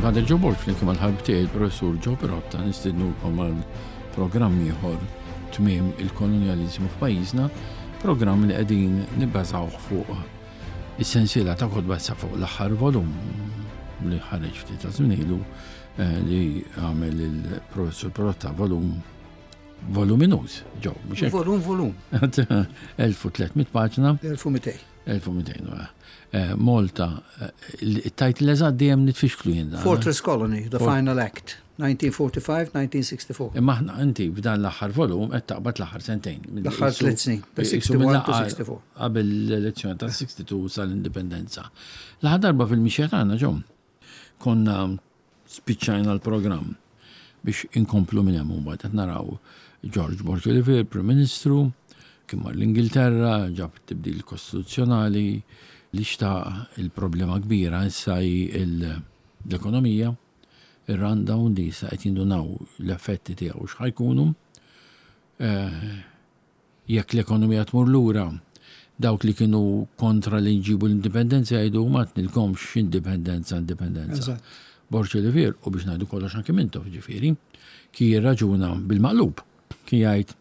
Father Joe Borg flimkien mal-ħabib tiegħi il-Professur Joe Pirotta nistednukom għal programm ieħor tmiem il-kolonjaliżmu f'pajjiżna, programm li qegħdin nibbażawh fuq is-sensiela ta' kotba issa fuq l-aħħar volum li ħareġ ftit ta' żmien ilu eh, li għamel il-Professur Pirotta volum voluminuż, ġo, mhux hekk? Volum, volum. 1300 paġna. 1200. 1200, eh, Malta, eh, il-title eżatt dejjem nitfixklu jien. Fortress Colony, The Final Act, 1945-1964. Imma aħna inti f'dan l-aħħar volum qed taqbad l-aħħar sentejn. L-aħħar tliet snin, 61 to 64. Qabel l-elezzjoni ta' 62 sal-indipendenza. L-aħħar darba fil-mixja tagħna ġom konna Spiċċajna l-programm biex inkomplu minn hemm imbagħad qed naraw George Borg Olivier, Prim Ministru, kien mar l-Ingilterra, ġab tibdil kostituzzjonali li xtaq il-problema kbira issa hi l-ekonomija, ir-rundown li issa qed jindunaw l-effetti tiegħu x'ħa jkunu. Eh, Jekk l-ekonomija tmur lura, dawk li kienu kontra li nġibu l-indipendenza jgħidu ma għednilkomx indipendenza, indipendenza. Borg Olivier, u biex ngħidu kollox anki Mintoff ġifieri, kien jirraġuna bil-maqlub, kien jgħid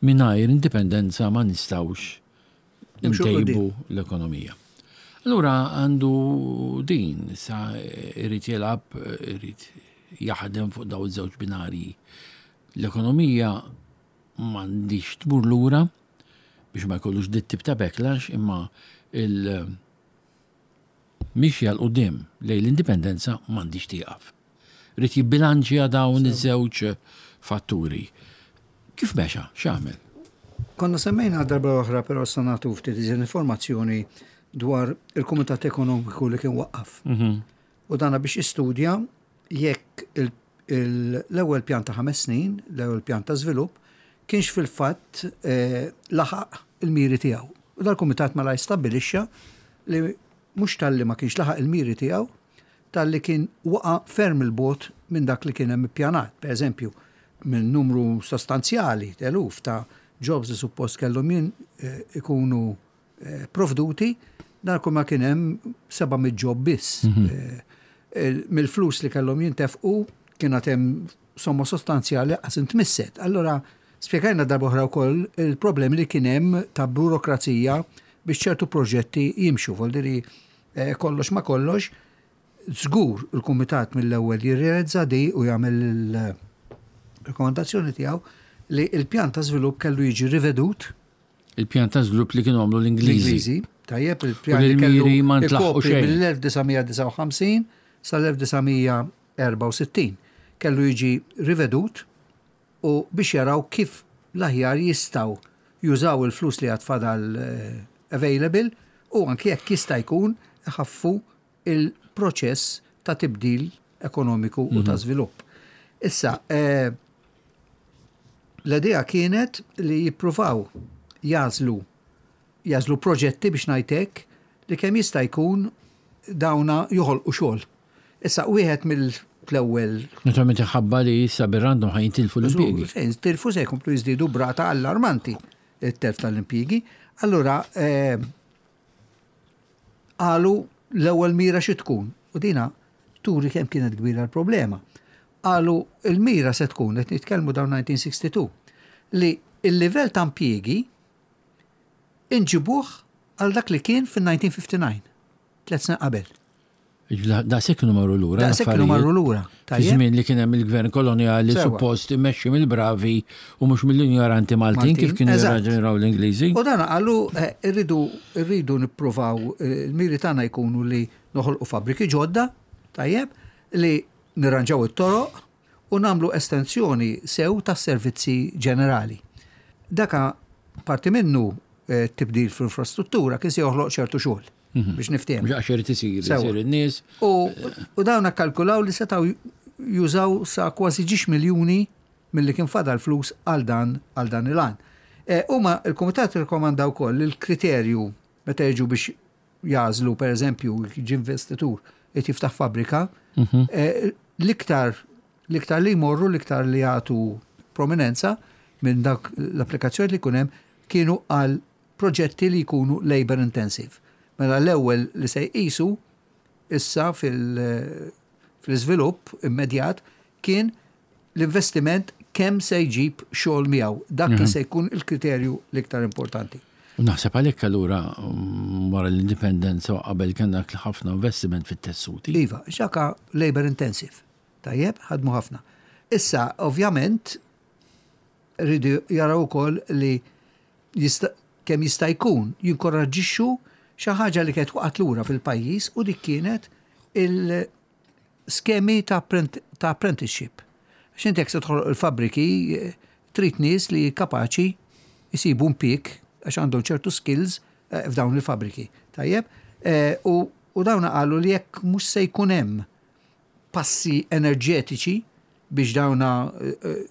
mingħajr indipendenza ma nistgħux ntejbu l-ekonomija. Allura għandu din, sa irid jilgħab, irid jaħdem fuq daw iż-żewġ binarji. L-ekonomija m'għandhiex tmur lura biex ma jkollux dit tip ta' backlash imma il mixja 'l quddiem lejn l-indipendenza m'għandhiex tieqaf. Ried jibbilanċja dawn iż-żewġ fatturi. Kif mexa? X'għamel? Konna semmejna darba oħra però issa nagħtu ftit iżjed informazzjoni dwar il-Kumitat Ekonomiku li kien waqqaf. Mhm. U dana biex jistudja jekk l-ewwel pjan ta' ħames snin, l-ewwel pjan ta' żvilupp, kienx fil-fatt eh, laħaq il-miri tiegħu. U dal-kumitat malaj stabbilixxa li mhux talli ma kienx laħaq il-miri tiegħu, talli kien waqa' ferm il-bot minn dak li kien hemm ippjanat. Per eżempju, minn numru sostanzjali, eluf ta' jobs li suppost kellhom jien eh, ikunu eh, provduti, dan kull ma kien hemm 700 job biss. Mhm. Eh, mill-flus li kellhom jintefqu kien hemm somma sostanzjali qas intmisset. Allora spjegajna darba oħra wkoll il-problemi li kien hemm ta' burokrazija biex ċertu proġetti jimxu, voldiri eh, kollox ma kollox, Żgur il-Kumitat mill-ewwel jirrealizza di u jagħmel il-rekomandazzjoni tiegħu li l-pjan ta' żvilupp kellu jiġi rivedut. Il-pjan ta' żvilupp li kienu għamlu l-Ingliżi. L-Ingliżi, tajjeb, il-pjan li kellu ikopri mill-1959 sal-1964 kellu jiġi rivedut u biex jaraw kif l-aħjar jistgħu jużaw il-flus li għad fadal eh, available u anki jekk jista' jkun iħaffu il-proċess ta' tibdil ekonomiku u ta' mhm. żvilupp. Issa, eh, l-idea kienet li jippruvaw jażlu jażlu proġetti biex ngħidlek li kemm jista' jkun dawna joħolqu xogħol. Issa wieħed mill-ewwel. Naturalment ħabba li issa bir-random ħa jintilfu l-impjiegi. Se jintilfu se jkomplu jiżdiedu brata allarmanti it-telf tal-impjiegi. Allura eh, Qalu l-ewwel mira xi tkun? U dina turi kemm kienet kbira l-problema. Qalu l-mira se tkun, qed nitkellmu dawn 1962, li l-livell ta' impjiegi inġibuh għal dak li kien fin-1959, tlet snin qabel. Daqshekk kienu marru lura. Daqshekk kienu marru lura. Fi żmien li kien hemm il-gvern kolonjali suppost immexxi mill-bravi u mhux mill-injoranti Maltin kif kienu jirraġunaw l-Ingliżi. U dan qalu eh, irridu irridu nippruvaw eh, il-miri tagħna jkunu li noħolqu fabbriki ġodda, tajjeb, li nirranġaw it-toroq u nagħmlu estensjoni sew tas-servizzi ġenerali. Daka parti minnu eh, tibdil fl-infrastruttura kien se joħloq ċertu xogħol. Mhm. Biex niftehmu. Għax irid isir, isir in-nies. U dawn akkalkulaw li setgħu jużaw sa kważi ġiex miljuni milli kien fadal flus għal dan għal dan il-għan. E, huma il-Kumitat irkomanda wkoll li l-kriterju meta jiġu biex jażlu pereżempju ġi investitur qed jiftaħ fabbrika, mhm. e, l-iktar l-iktar li jmorru, l-iktar li jagħtu prominenza minn dak l-applikazzjoni li jkun hemm kienu għal proġetti li jkunu labour intensive. Mela l-ewwel li se jqisu issa fil-iżvilupp immedjat kien l-investiment kemm se jġib xogħol miegħu. Dak kien se jkun il-kriterju l-iktar importanti. U naħseb għalhekk allura wara l-indipendenza u qabel kellna ħafna investiment fit-tessuti. Iva, xaka labor intensive. Tajjeb, ħadmu ħafna. Issa, ovvjament, rridu jaraw ukoll li kemm jista' jkun jinkoraġġixxu xi ħaġa li kienet waqgħet lura fil-pajjiż u dik kienet il-skemi ta' apprenticeship. Għax inti jekk se toħloq il-fabbriki trid nies li kapaċi jsibu impjieg għax għandhom ċertu skills f'dawn il-fabbriki. Tajjeb? U dawn qalu li jekk mhux se jkun hemm passi enerġetiċi biex dawna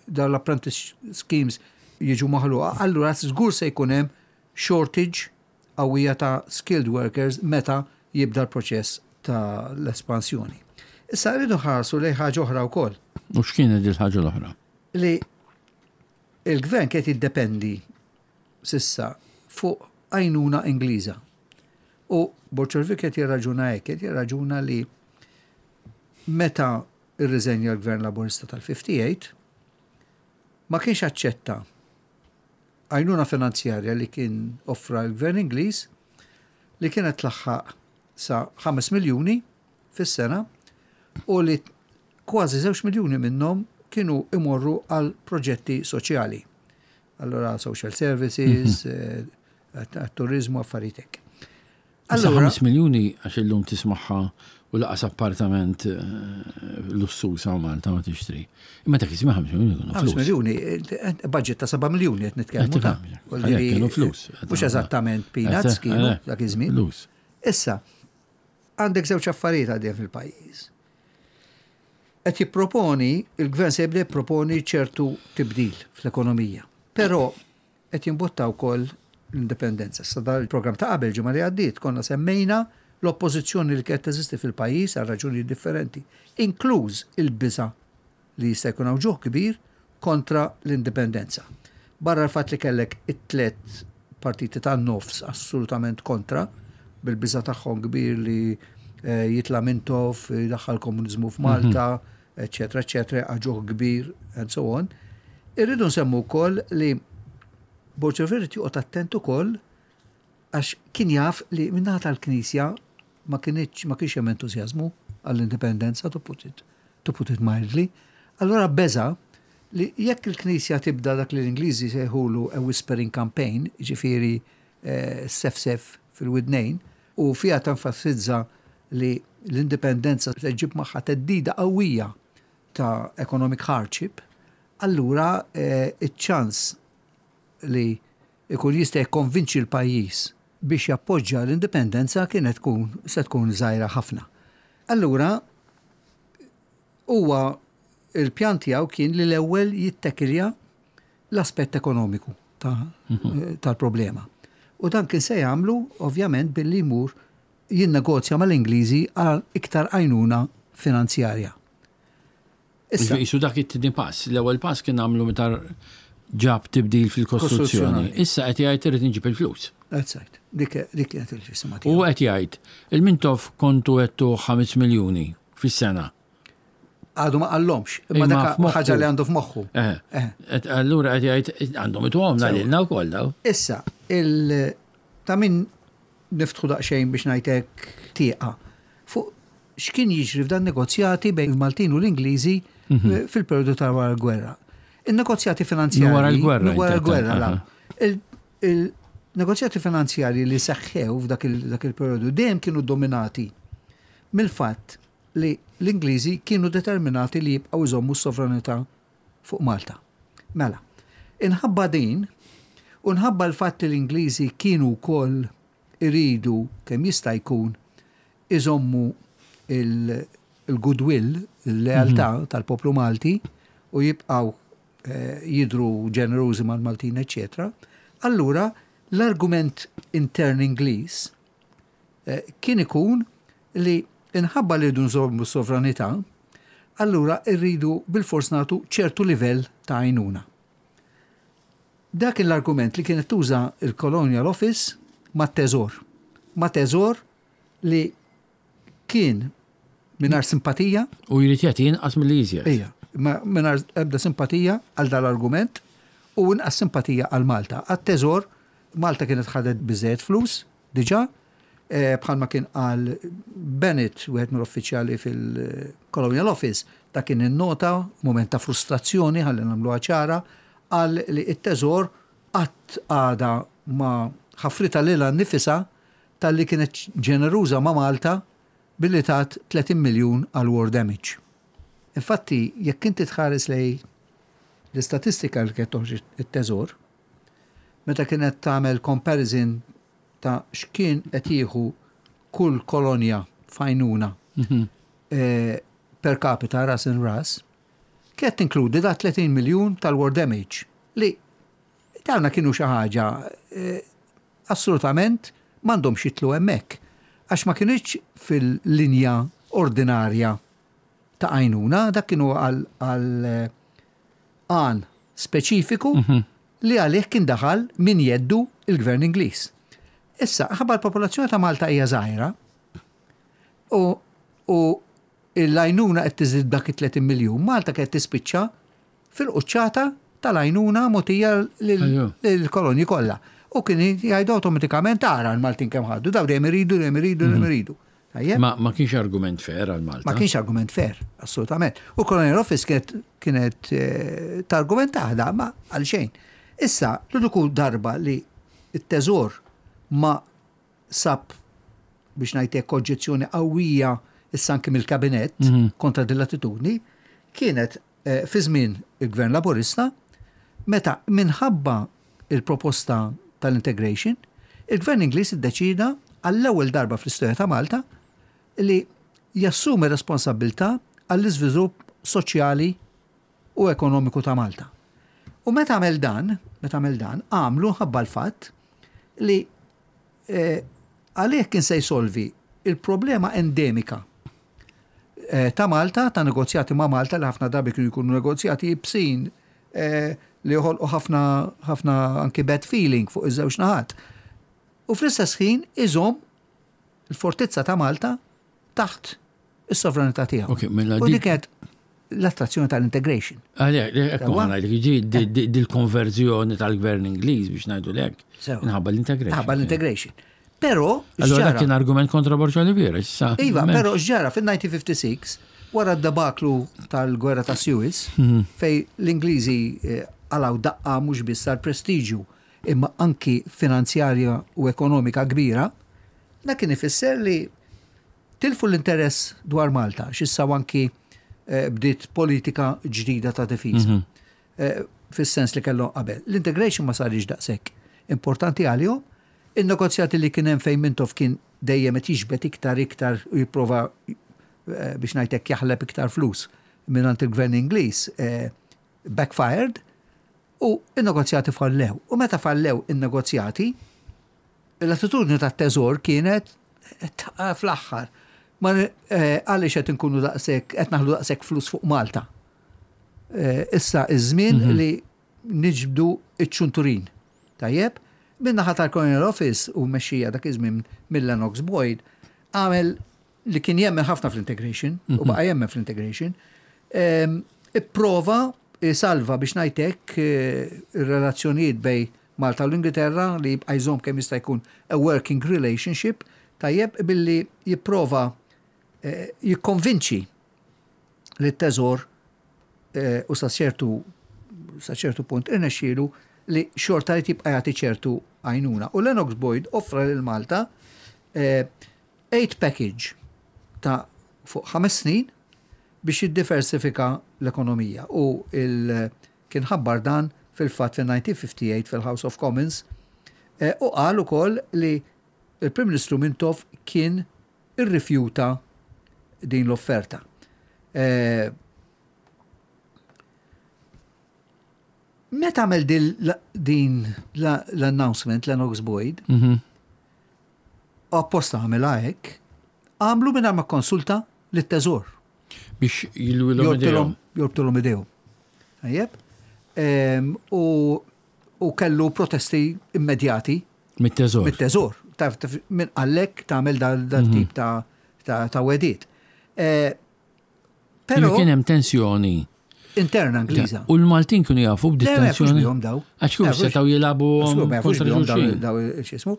dawn l-apprentice schemes jiġu maħluqa, allura żgur se jkun hemm shortage qawwija ta' skilled workers meta jibda l-proċess ta' l-espansjoni. Issa rridu nħarsu lejn ħaġa oħra wkoll. U x'kienet il-ħaġa l-oħra? Li il-gvern kien jiddependi s'issa fuq għajnuna Ingliża. U Borg Olivier qed jirraġuna hekk, qed jirraġuna li meta irriżenja l-Gvern Laburista tal-58, ma kienx aċċetta għajnuna finanzjarja li kien offra l-Gvern Ingliż li kienet tlaħħaq sa 5 miljuni fis-sena u li kważi 2 miljuni minnhom kienu imorru għal proġetti soċjali. Allora social services, turizmu, affarijiet hekk. Allora 5 miljuni għax illum tismaħħa u laqas appartament lussuż hawn Malta ma tixtri. Imma dak iż-żmien 5 miljuni kienu flus. 5 miljuni, budget ta' 7 miljuni qed nitkellmu ta' kienu flus. Mhux eżattament peanuts kienu dak iż-żmien. Issa, għandek żewġ affarijiet għaddejjin fil-pajjiż. Qed jipproponi, il-gvern se jibda jipproponi ċertu tibdil fl-ekonomija. Però qed jimbotta wkoll l-indipendenza. Sa dal il-programm ta' qabel ġimgħa li għaddiet konna semmejna l-oppożizzjoni li kienet teżisti fil-pajjiż għal raġunijiet differenti, inkluż il-biża' li jista' jkun hawn ġuħ kbir kontra l-indipendenza. Barra l-fatt li kellek it-tliet partiti tan-nofs assolutament kontra, bil-biża' tagħhom kbir li jitla' Mintoff, jdaħħal komuniżmu f'Malta, eċċetera, eċċetera, ġuħ kbir, and so on. Irridu nsemmu wkoll li Borg Olivier joqgħod attent ukoll għax kien jaf li min-naħa tal-Knisja ma kienx ma kienx hemm entużjażmu għall-indipendenza, to put it mildly. Allora beża li jekk il-Knisja tibda dak li l-Ingliżi sejħulu a whispering campaign, ġifieri sefsef fil-widnejn, u fiha tenfasizza li l-indipendenza se ġġib magħha theddida qawwija ta' economic hardship, allura iċ-ċans li ikun jista' jikkonvinċi l-pajjiż biex jappoġġja l-indipendenza kienet tkun se tkun żgħira ħafna. Allura huwa il-pjan tiegħu kien li l-ewwel jittekilja l-aspett ekonomiku tal-problema. U dan kien se jagħmlu ovvjament billi jmur jinnegozja mal-Ingliżi għal iktar għajnuna finanzjarja. Issa jisu dak it-tieni pass. L-ewwel pass kien għamlu meta ġab tibdil fil-Kostituzzjoni. Issa qed jgħid irid inġib il-flus. That's right. Dik kienet il-ġisma tiegħu. U qed jgħid il-Mintoff kontu għedtu 5 miljuni fis-sena. Għadu ma qallhomx, imma dak ħaġa li għandu f'moħħu. Allura qed jgħid għandhom ituhom lilna wkoll daw. Issa, il ta' min niftħu daqsxejn biex ngħidlek tieqa fuq x'kien jiġri f'dan negozjati bejn il-Maltin u l-Ingliżi fil-periodu ta' wara l-gwerra. Il-negozjati finanzjari. Wara l-gwerra. Wara l-gwerra, la. Il-negozjati finanzjari li seħħew f'dak il-periodu dejjem kienu dominati mill-fatt li l-Ingliżi kienu determinati li jibqgħu jżommu s-sovranità fuq Malta. Mela, inħabba din, u nħabba l-fatt li l-Ingliżi kienu wkoll iridu kemm jista' jkun iżommu il-goodwill, il-lealtà tal-poplu Malti u jibqgħu jidru ġenerużi mal-Maltin, eccetera. Allura, l-argument intern Ingliż kien ikun li inħabba li rridu nżommu s-sovranità, allura rridu bil-fors nagħtu ċertu livell ta' għajnuna. Dak l-argument li kienet tuża il-Colonial Office ma' teżor. Ma' teżor li Kien mingħajr simpatija. U jrid jagħti inqas milli iżjed. Ejja, mingħajr ebda simpatija għal dal-argument u inqas simpatija għal Malta. Għat-teżor, Malta kienet ħadet biżejjed flus diġà, eh, bħalma kien qal Bennett, wieħed mill-uffiċjali fil-Colonial Office, ta' kien innota moment ta' frustrazzjoni ħalli nagħmluha ċara, qal li t-teżor qatt għadha ma ħafritha lilha nnifisha talli kienet ġeneruża ma' Malta billi tat 30 miljun għal war damage. Infatti, jekk inti tħares lejn l-istatistika li kienet toħroġ it-Teżor, meta kienet tagħmel comparison ta' x'kien qed jieħu kull kolonja f'għajnuna per capita ras in ras, kienet tinkludi da 30 miljun tal-war damage li dawna kienu xi ħaġa eh, assolutament m'għandhomx jitlu hemmhekk għax ma kinitx fil-linja ordinarja ta' għajnuna, dak kienu għal eh, għan speċifiku mhm. li għalih kien daħal min jeddu il-gvern Ingliż. Issa, ħabba l-popolazzjoni ta' Malta hija żgħira u, u l-għajnuna qed tiżdied b'dak it-30 miljun, Malta kienet tispiċċa fil-quċċata tal-għajnuna mogħtija lill-kolonji kollha. U kien jgħidu awtomatikament ara l-Maltin kemm ħadu, daw dejjem iridu, dejjem iridu, dejjem mhm. iridu. Ma, ma kienx argument fair għal Malta. Ma kienx argument fair, assolutament. U Colonial Office kienet kienet eh, targument taħda, ma għal xejn. Issa, l-uniku darba li t-teżor ma sab biex ngħid hekk oġġezzjoni qawwija issa anki mill-kabinett mhm. kontra din l-attitudni kienet eh, fi żmien il-Gvern Laburista meta minħabba il-proposta tal-integration, il-Gvern Ingliż iddeċida għall-ewwel darba fl-istorja ta' Malta li jassumi responsabbiltà għall-iżvilupp soċjali u ekonomiku ta' Malta. U meta għamel dan, meta għamel dan, għamlu ħabba l-fatt li eh, għalih kien se jsolvi il-problema endemika eh, ta' Malta, ta' negozjati ma' Malta li ħafna drabi kienu jkunu negozjati ibsin eh, li joħolqu ħafna ħafna anki bad feeling fuq iż-żewġ naħat. U fl-istess ħin iżomm il-fortizza ta' Malta taħt is-sovranità tiegħu. Ok, mela U dik kienet l-attrazzjoni tal-integration. Għalek, ekku għana, ġi dil-konverzjoni tal-gvern Ingliż biex ngħidu lek. Nħabba l-integration. Nħabba l-integration. Però. Allora dak kien argument kontra Borġa Oliviera, issa. Iva, però x'ġara fil-1956, wara d-debaklu tal-gwerra ta' Suez, mhm. fej l-Ingliżi eh, għalaw daqqa mhux biss tal-prestiġju imma anki finanzjarja u ekonomika kbira, dak kien ifisser li Tilfu l-interess dwar Malta, għax issa anki eh, bdiet politika ġdida ta' difiża. Mhm. Eh, fis-sens li kellhom qabel. L-integration ma sarix daqshekk importanti għalihom. In-negozjati li kien hemm fejn Mintoff kien dejjem qed jiġbed iktar iktar u jipprova eh, biex ngħidlek jaħleb iktar flus mingħand il-gvern Ingliż backfired u n-negozjati fallew. U meta fallew in-negozjati, L-attitudni tat-Teżor kienet fl-aħħar ma eh, għaliex qed inkunu daqshekk qed naħlu daqshekk flus fuq Malta. Eh, issa iż-żmien mhm. li niġbdu iċ-ċunturin. Tajjeb, min-naħa tal-Colonial Office u mexxija dak iż-żmien mill-Lennox Boyd għamel li kien jemmen ħafna fl-integration u mhm. baqa' jemmen fl-integration, ehm, ipprova salva biex ngħidlek eh, ir-relazzjonijiet bej Malta u l-Ingilterra li jibqa' jżomm kemm jista' jkun a working relationship tajjeb billi jipprova eh, jikkonvinċi li t-teżor eh, u sa ċertu sa ċertu punt irnexxielu li xorta li tibqa' jagħti ċertu għajnuna. U Lennox Boyd offra lil Malta aid package ta' fuq 5 snin biex jiddiversifika l-ekonomija u il kien ħabbar dan fil-fatt fil-1958 fil-House of Commons eh, u qal ukoll li il-Prim Ministru Mintoff kien irrifjuta din l-offerta. Eh, meta għamel din l-announcement Lennox Boyd, mhm. Apposta għamilha hekk, għamlu mingħajr ma kkonsulta lit-Teżor. Biex jilwilhom idejhom. Jorbtulhom idejhom. Tajjeb? Ehm, u u kellu protesti immedjati. Mit-teżor. Mit-teżor. Taf min qallek tagħmel dal mhm. tip ta' ta' wegħdiet. Però kien hemm tensjoni interna Ingliża. U l-Maltin kienu jafu b'din tensjoni. daw. Għax kienu setgħu jilagħbu kontra xulxin. Daw x'ismu.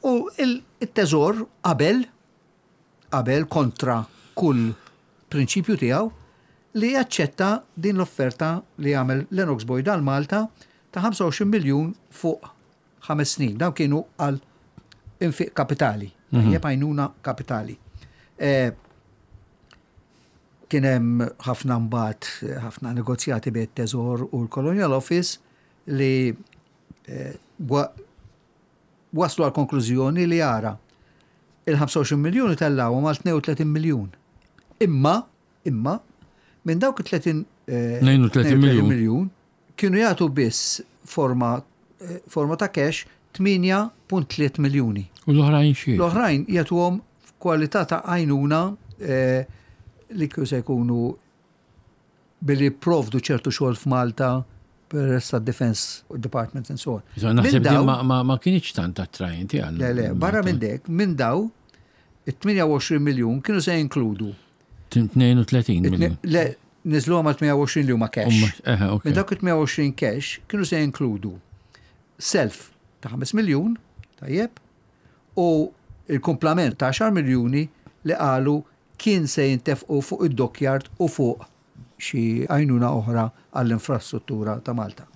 U il-teżor qabel qabel kontra kull prinċipju tiegħu li jaċċetta din l-offerta li għamel Lennox Boyd għal Malta ta' 25 miljun fuq 5 snin. Dawn kienu għal infiq kapitali, tajjeb għajnuna kapitali. Kien hemm ħafna mbagħad ħafna negozjati bejn it-Teżor u l-Colonial Office li waslu għal konklużjoni li ara il-25 miljun itellgħuhom għal 32 miljun. Imma, imma, minn dawk it-30 32 miljun. miljun kienu jagħtu biss forma forma ta' cash 8.3 miljuni. U l-oħrajn xi? L-oħrajn jagħtuhom f'kwalità ta' għajnuna li kienu se jkunu billi jipprovdu ċertu xogħol f'Malta peress tad-Defence Department and so on. Naħseb din ma kienx tant attrajenti għal. Le, le, barra minn dek, minn daw, it-28 miljun kienu se jinkludu. 32 miljun. Le, niżlu għal 28 li huma cash. Minn dawk it-28 cash kienu se jinkludu self ta' 5 miljun, tajjeb, u il-kumplament ta' 10 miljuni li qalu kien se jintefqu fuq id-dockyard u fuq xi għajnuna oħra għall-infrastruttura ta' Malta.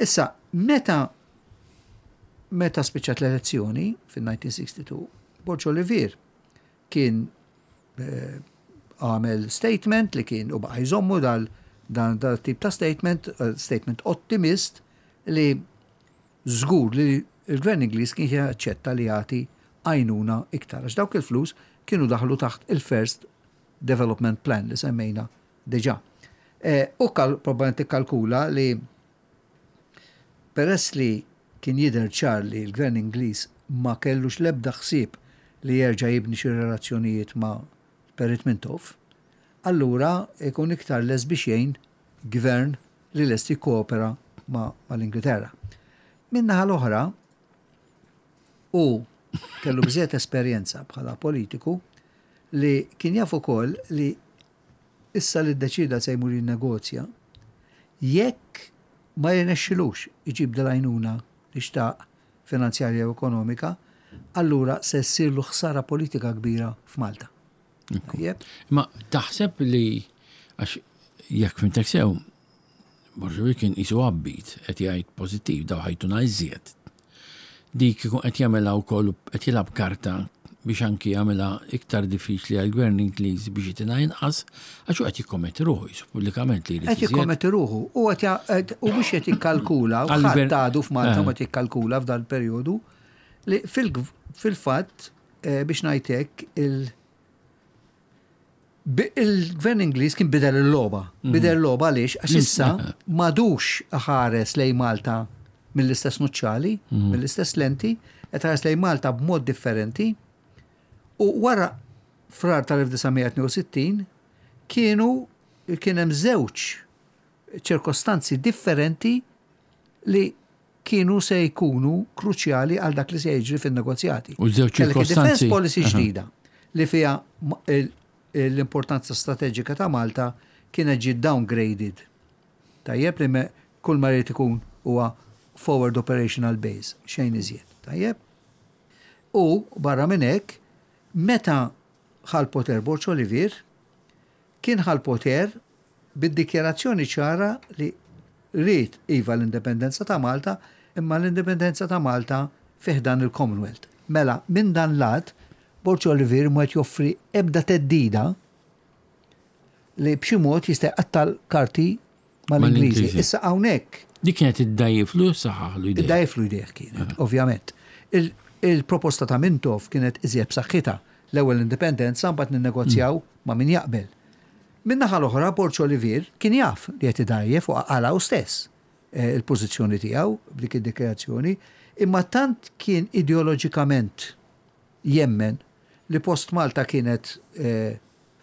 Issa, meta meta spiċċat l-elezzjoni fil-1962, Borg Olivier kien għamel statement li kien u baqa' jżommu dal dan dal tip ta' statement, statement ottimist li żgur li l-Gvern Ingliż kien jaċċetta li jagħti għajnuna iktar għax dawk il-flus kienu daħlu taħt il-First Development Plan li semmejna diġà. U probabbilment ikkalkula li peress li kien jidher ċar li l-Gvern Ingliż ma kellux l-ebda ħsieb li jerġa' jibni xi relazzjonijiet ma' Perit Mintoff, allura ikun iktar lest biex jgħin gvern li lest jikkoopera mal-Ingilterra. Min-naħa l-oħra, hu kellu biżżejjed esperjenza bħala politiku li kien jaf ukoll li issa li ddeċieda se jmur jinnegozja, jekk ma jirnexxilux iġib dil-għajnuna li xtaq finanzjarja u ekonomika, allura se ssirlu ħsara politika kbira f'Malta. Tajjeb? Ma taħseb li għax jekk fimtek sew, Borg kien qisu abbit qed jgħid pożittiv daw ħajtuna iżjed. Dik ikun qed jagħmilha wkoll qed jilgħab karta biex anki jagħmilha iktar diffiċli għall-gvern Ingliż biex jitina inqas għax hu qed jikkommetti ruħu qisu pubblikament li jrid Qed jikkommetti ruħu u qed u mhux qed jikkalkula u ħadd għadu f'Malta ma jikkalkula f'dan il-perjodu li fil-fatt biex ngħid hekk il Il-gvern Ingliż kien bidel il-logħba. Bidel il-logħba għaliex? Għax issa m'għadux ħares lejn Malta mill-istess nuċċali, mill-istess lenti, qed ħares lejn Malta b'mod differenti. U wara Frar tal-1962 kienu kien hemm żewġ ċirkostanzi differenti li kienu se jkunu kruċjali għal dak li se jiġri fin-negozjati. U żewġ ċirkostanzi. Defense policy ġdida li fiha l-importanza strateġika ta' Malta kienet ġiet downgraded. Tajjeb li kull ma jrid ikun huwa forward operational base, xejn iżjed. Tajjeb? U barra minn hekk, meta ħa l-poter Borg Olivier, kien ħa l-poter bid-dikjarazzjoni ċara li ried iva l-indipendenza ta' Malta, imma l-indipendenza ta' Malta fi ħdan il-Commonwealth. Mela, minn dan lat, Borg Olivier mhu qed joffri ebda theddida li b'xi mod jista' jqatta' l-karti mal-Ingliżi. Issa hawnhekk. Dik kienet iddgħajjiflu jew ssaħħaħlu jdejh? Iddgħajjiflu jdejh kienet, ovvjament. Il-proposta ta' Mintoff kienet iżjed b'saħħitha. L-ewwel l-indipendenza mbagħad ninnegozjaw ma' min jaqbel. Min-naħa l-oħra, Borg Olivier kien jaf li qed idgħajjef u qalha hu stess il-pożizzjoni tiegħu b'dik id-dikjarazzjoni, imma tant kien ideoloġikament jemmen li post Malta kienet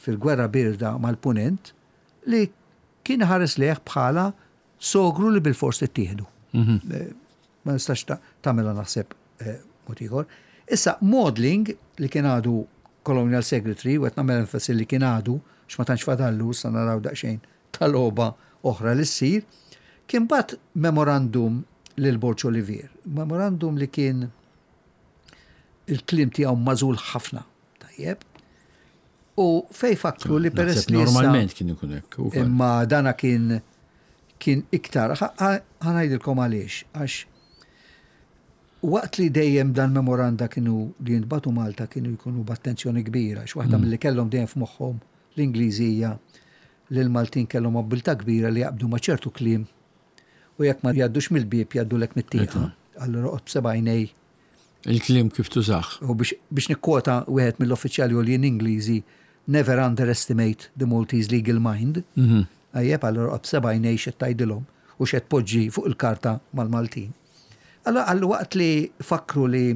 fil-gwerra bierda mal-Punent li kien iħares lejh bħala sogru li bilfors tittieħdu. Ma nistax tagħmilha naħseb mod ieħor. Issa Maudling li kien għadu Colonial Secretary, u qed nagħmel enfasi li kien għadu, għax ma tantx fadallu, issa naraw daqsxejn ta' logħba oħra li ssir, kien bagħat memorandum lil Borg Olivier. Memorandum li kien il-kliem tiegħu magħżul ħafna, tajjeb. U fej fakru li peress li. Normalment kien ikun hekk. Imma dana kien kien iktar, ħa ngħidilkom għaliex, għax Waqt li dejjem dan memoranda kienu li jintbagħtu Malta kienu jkunu b'attenzjoni kbira, għax waħda milli kellhom dejjem f'moħħhom l-Ingliżi hija li l-Maltin kellhom abbiltà kbira li jaqbdu ma' ċertu kliem u jekk ma jgħaddux mill-bieb jgħaddulek mit-tieqa. Allura oqgħod b'seba' għajnej. Il-kliem kif tużah. U biex nikkwota wieħed mill-uffiċjali għoljin Ingliżi, Never underestimate the Maltese legal mind. Tajjeb, allura oqgħod b'seba' għajnej x'qed tgħidilhom u x'qed tpoġġi fuq il-karta mal-Maltin. Allura qallu waqt li fakkru li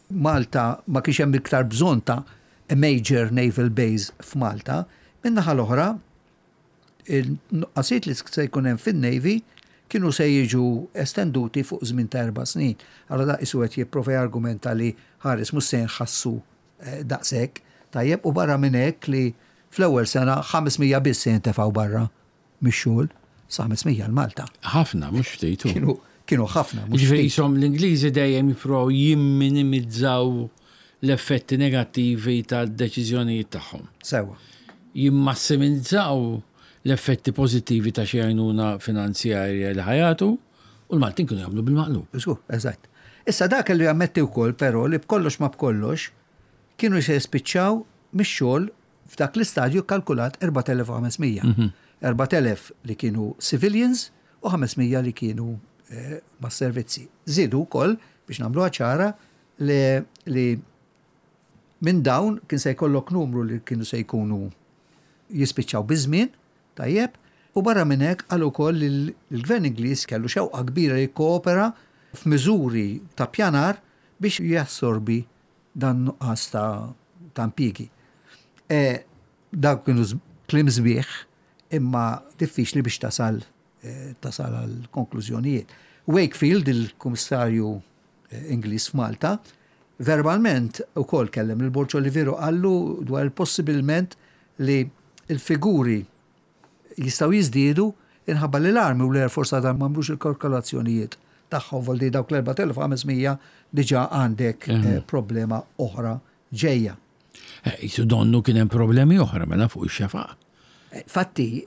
Malta ma kienx hemm iktar bżonn ta' a major naval base f'Malta, min-naħa l-oħra il-nuqqasijiet li se jkun hemm fin-Navy kienu se jiġu estenduti fuq żmien ta' erba' snin. Allura da qisu qed jipprova jargumenta li ħares mhux se jinħassu eh, daqshekk tajjeb u barra minn hekk li fl-ewwel sena 500 biss se jintefgħu barra. mix-xogħol sa 500 għal Malta. Ħafna, mhux ftit. Kienu kienu ħafna. Jiġifieri qishom l-Ingliżi dejjem jippruvaw jimminimizzaw l-effetti negattivi tad-deċiżjonijiet tagħhom. Sewwa. Jimmassimizzaw l-effetti pożittivi ta' xi għajnuna finanzjarja li ħa jagħtu u l-Maltin kienu jagħmlu bil-maqlub. Żgur, eżatt. Issa dak kellu jammetti wkoll però li b'kollox ma b'kollox kienu se jispiċċaw mix-xogħol F'dak l-istadju kkalkulat 4,500. 4,000 li kienu civilians u 500 li kienu mas-servizzi. Żiedu wkoll, biex nagħmluha ċara, li minn dawn kien se jkollok numru li kienu se jkunu jispiċċaw biż-żmien, tajjeb, u barra minn hekk qal ukoll li l-Gvern Ingliż kellu xewqa kbira li jikkoopera f'miżuri ta' ppjanar biex jassorbi dan nuqqas ta' ta' impjiegi. E, dawk kienu kliem sbieħ imma diffiċli biex tasal e, tasal għal konklużjonijiet. Wakefield, il-Kummissarju e, Ingliż f'Malta, verbalment ukoll kellem lil Borg Olivier u qallu dwar il-possibilment li l-figuri jistgħu jiżdiedu inħabba li l-Army u l-Air Force għadha m'għamlux il-kalkolazzjonijiet tagħhom voldi dawk l-4500 diġà għandek eh, problema oħra ġejja. Eh, jisu donnu kien hemm problemi oħra mela fuq ix-xefaq. Eh, fatti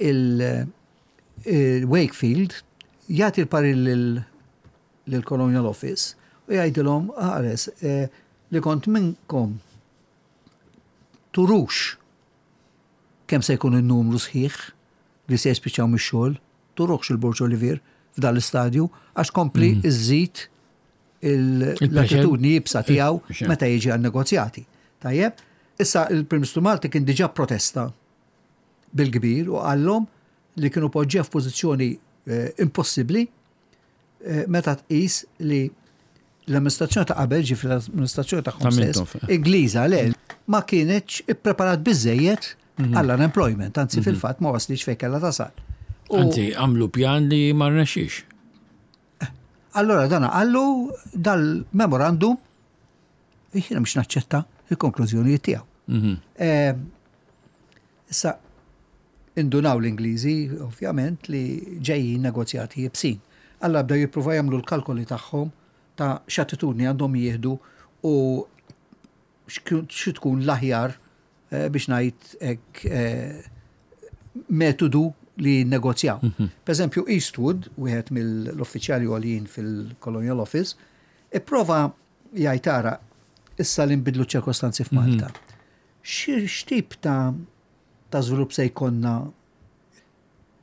il-Wakefield jagħti l-parir lill-Colonial Office u jgħidilhom ħares li kont minnkom turux Kemm se jkun in-numru sħiħ li se jispiċċaw mix-xogħol? Turuhx il-Borg Olivier f'dan l-istadju għax kompli mm. iżżid l-attitudni jibsa tiegħu eh, meta jiġi għal negozjati. Tajjeb, issa il-Prim Ministru Malti kien diġà protesta bil-kbir u qallhom li kienu poġġew f'pożizzjoni eh, impossibbli eh, meta tqis li l-amministrazzjoni ta' qabel, ġifri l-amministrazzjoni ta' stess, eh. Ingliża le, ma kienx ippreparat biżejjed mhm. għall-unemployment, anzi mhm. fil-fatt ma waslix fejn kellha tasal. Anzi, għamlu pjan li ma rnexxix. Eh, allora dana għallu dal-memorandum jiena mhux naċċetta il-konklużjonijiet tiegħu. Mhm. Issa, indunaw l-Ingliżi, ovvjament, li ġejjin negozjati iebsin. Allura bdew jippruvaw jagħmlu l-kalkoli tagħhom ta' x'attitudni għandhom jieħdu u xi tkun l-aħjar eh, biex ngħid hekk eh, metodu li jinnegozjaw. Mhm. Per eżempju, Eastwood, wieħed mill-uffiċjali għoljin fil-Colonial Office, ipprova jgħid ara issa li nbidlu ċ-ċirkostanzi f'Malta. Mhm. X'tip ta' ta' żvilupp se jkollna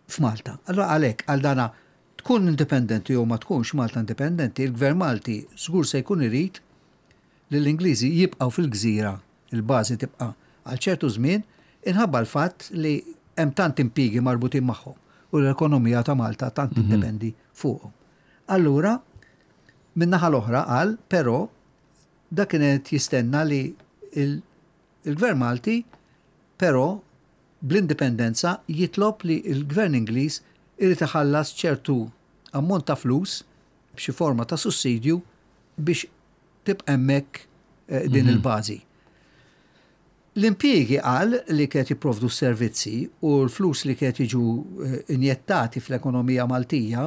f'Malta? Allura għalhekk għal dana tkun indipendenti jew ma tkunx Malta indipendenti, il-Gvern Malti żgur se jkun irid li l-Ingliżi jibqgħu fil-gżira, il-bażi tibqa' għal ċertu żmien inħabba l-fatt li hemm tant impjiegi marbutin magħhom u l-ekonomija ta' Malta tant mhm. tiddependi fuqhom. Allura, min-naħa l-oħra qal, però Dak kien qed jistenna li l-Gvern Malti però bl-indipendenza jitlob li l-Gvern Ingliż irid iħallas ċertu ammont ta' flus b'xi forma ta' sussidju biex tibqa' hemmhekk eh, din mhm. il-bażi. L-impjiegi qal li kienet jipprovdu s-servizzi u l-flus li kienet jiġu injettati fl-ekonomija Maltija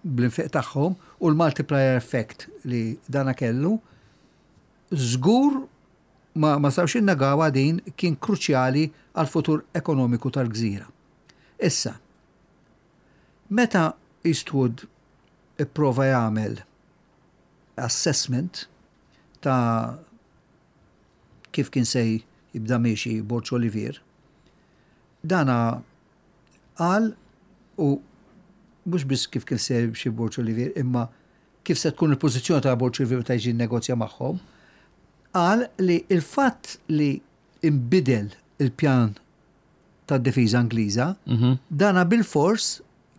bl-infiq tagħhom u l-multiplier effect li dana kellu, żgur ma ma stawx innegawha din kien kruċjali għall-futur ekonomiku tal-gżira. Issa, meta Eastwood ipprova jagħmel assessment ta' kif kien se jibda miexi Borg Olivier, dana qal u mhux biss kif kien se jimxi Borg Olivier imma kif se tkun il-pożizzjoni ta' Borg Olivier meta jiġi nnegozja magħhom, qal li l-fatt li inbidel il-pjan tad-difiża Ingliża, dana bilfors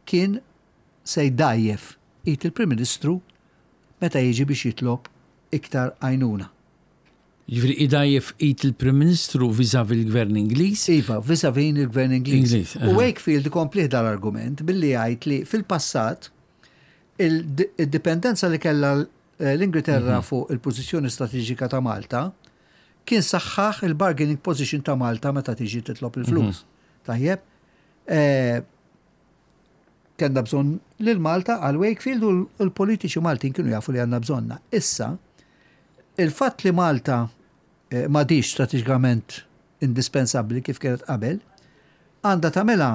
kien se jdgħajjef id il-Prim Ministru meta jiġi biex jitlob iktar għajnuna. Jiġifieri idgħajjef id il-Prim Ministru vis-à-vis l-Gvern Ingliż? Iva, vis-à-vis il-Gvern Ingliż. Ingliż. U Wakefield ikomplih dal-argument billi jgħid li fil-passat id-dipendenza li kellha l-Ingilterra fuq il-pożizzjoni strateġika ta' Malta kien saħħaħ il-bargaining position ta' Malta meta tiġi titlob il-flus. Tajjeb? Kellna bżonn lil Malta għal Wakefield u l-politiċi Maltin kienu jafu li għandna bżonna. Issa, il-fatt li Malta eh, m'għadix strateġikament indispensabbli kif kienet qabel, għandha tagħmilha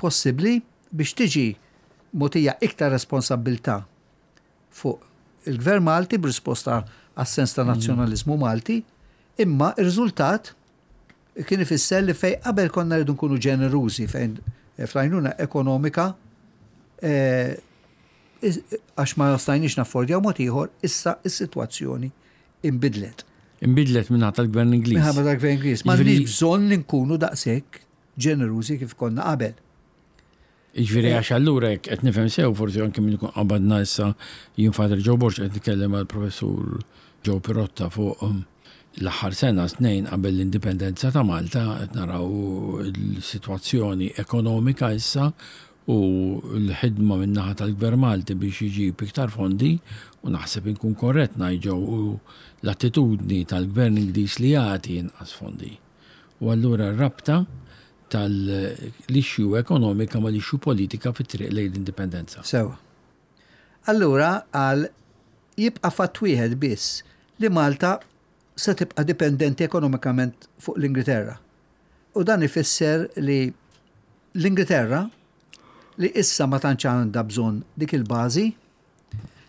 possibbli biex tiġi mogħtija iktar responsabbiltà fuq il-Gvern Malti b'risposta għas-sens ta' nazzjonaliżmu Malti, imma r-riżultat kien ifisser li fejn qabel konna rridu nkunu ġenerużi fejn eh, fl-għajnuna ekonomika eh, għax ma stajniex naffordjaw mod ieħor, issa is-sitwazzjoni inbidlet. Inbidlet minn tal-Gvern Ingliż. Minħabba tal-Gvern Ingliż. Ma bżonn li nkunu daqshekk ġenerużi kif konna qabel. Jiġifieri għax allura jekk qed nifhem sew forsi anke min ikun qabadna issa jien Father Joe Borg qed nitkellem mal-Professur Joe Pirotta fuq um, l-aħħar sena snejn qabel l-indipendenza ta' Malta qed naraw il-sitwazzjoni ekonomika issa u l-ħidma min-naħa tal-Gvern Malti biex iġib iktar fondi u naħseb inkun korrett ngħid Joe u l-attitudni tal-Gvern Ingliż li jagħti inqas fondi. U allura r-rabta tal-issue ekonomika mal-issue politika fit-triq lejn l-indipendenza. Sewwa. Allura qal jibqa' fatt wieħed biss li Malta se tibqa' dipendenti ekonomikament fuq l-Ingilterra. U dan ifisser li l-Ingilterra li issa ma tantx għandha bżonn dik il-bażi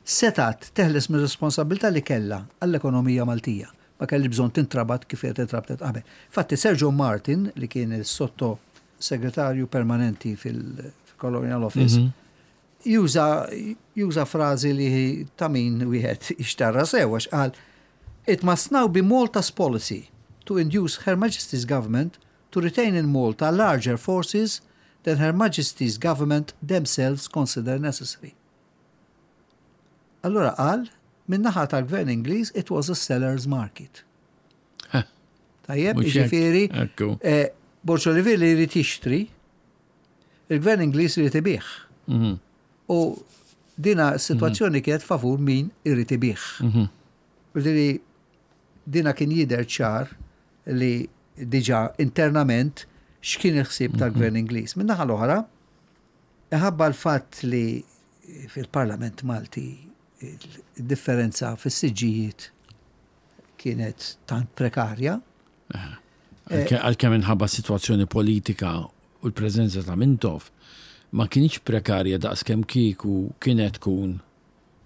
setgħet teħles mir-responsabbiltà li kellha għall-ekonomija Maltija. Ma kellhiex bżonn tintrabat kif kienet intrabtet qabel. Infatti Sir John Martin, li kien is-sotto segretarju permanenti fil-Colonial Office, juża juża frażi li ta' min wieħed jixtarra sew għax qal It must now be Malta's policy to induce Her Majesty's Government to retain in Malta larger forces than Her Majesty's Government themselves consider necessary. Allura qal, min-naħa tal-Gvern Ingliż it was a seller's market. Tajjeb, jiġifieri, eh, Borg Olivier li jrid jixtri, il-Gvern Ingliż irid ibigħ. Mhm. U dina s-sitwazzjoni mhm. kienet favur min irid ibigħ. Mhm. Ġifieri dina kien jidher ċar li diġà internament x'kien il-ħsieb tal-Gvern Ingliż. Min-naħa l-oħra, Minħabba l-fatt li fil-Parlament Malti id-differenza fis-siġġijiet kienet tant prekarja. Għalkemm minħabba s-sitwazzjoni politika u l-preżenza ta' Mintoff ma kinitx prekarja daqskemm kieku kienet tkun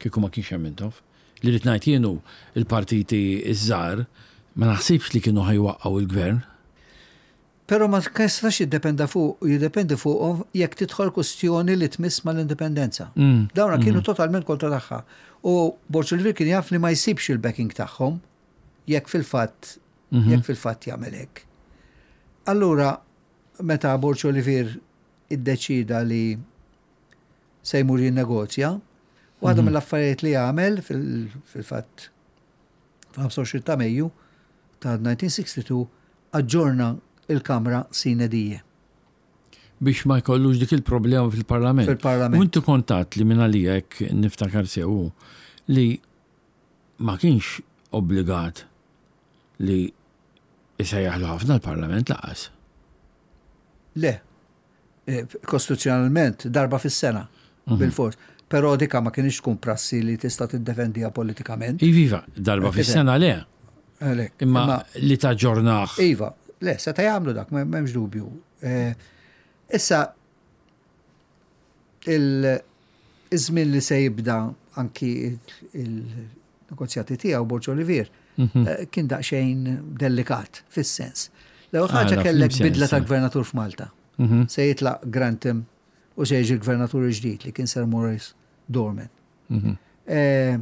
kieku ma kienx hemm Mintoff. Li rrid ngħid jien hu l-partiti ż-żgħar ma naħsibx li kienu ħa jwaqqgħu l-gvern. Però ma jistax jiddependa fuq jiddependi fuqhom jekk tidħol kwistjoni li tmiss mal-indipendenza. Dawna kienu totalment kontra tagħha. U Borg Olivier kien jaf li ma jsibx il-backing tagħhom jekk fil-fatt jekk fil-fatt jagħmel hekk. Allura meta Borg Olivier iddeċida li se jmur jinnegozja, waħda mill-affarijiet li għamel fil-fatt fil-25 ta' Mejju ta' 1962 aġġorna l-Kamra sine die. Biex ma jkollux dik il-problema fil-Parlament. Fil-Parlament. U inti kont għedt li minn għalija hekk niftakar sew hu li ma kienx obbligat li Isejjaħlu ħafna l-Parlament laqas. Le. Eh, kostituzzjonalment darba fis-sena mhm. bil-fors. Però dika ma kienx tkun prassi li tista' tiddefendiha politikament. Iva, darba eh, fis-sena le. Imma li taġġornaħ. Iva, le, seta' jagħmlu dak, m'hemmx dubju. Eh, issa il-żmien li se jibda anki il-negozjati tiegħu Borġ Olivier mhm. eh, kien daqsxejn delikat fis-sens. L-ewwel ħaġa ah, kellek bidla ta' gvernatur f'Malta. Mhm. Se jitlaq Grantham u se jiġi gvernatur ġdid li kien Sir Maurice Dorman. Mhm. Eh,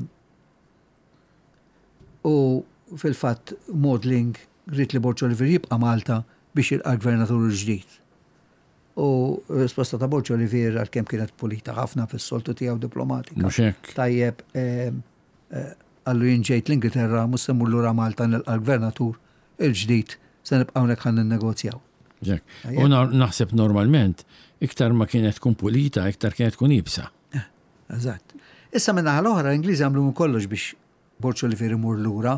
u fil-fatt Maudling ried li Borg Olivier jibqa' Malta biex jilqa' l-gvernatur il-ġdid. U r-risposta ta' Borg Olivier għalkemm kienet pulita ħafna fis-soltu tiegħu diplomatika. Mhux hekk. Tajjeb, qallu jien ġejt l-Ingilterra mhux se mmur lura Malta nilqa' l-gvernatur il-ġdid se nibqa' hawnhekk ħa ninnegozjaw. U naħseb normalment iktar ma kienet tkun pulita, iktar kienet tkun iebsa. Eżatt. Issa min-naħa l-oħra l-Ingliżi għamlu minn kollox biex Borg Olivier imur lura.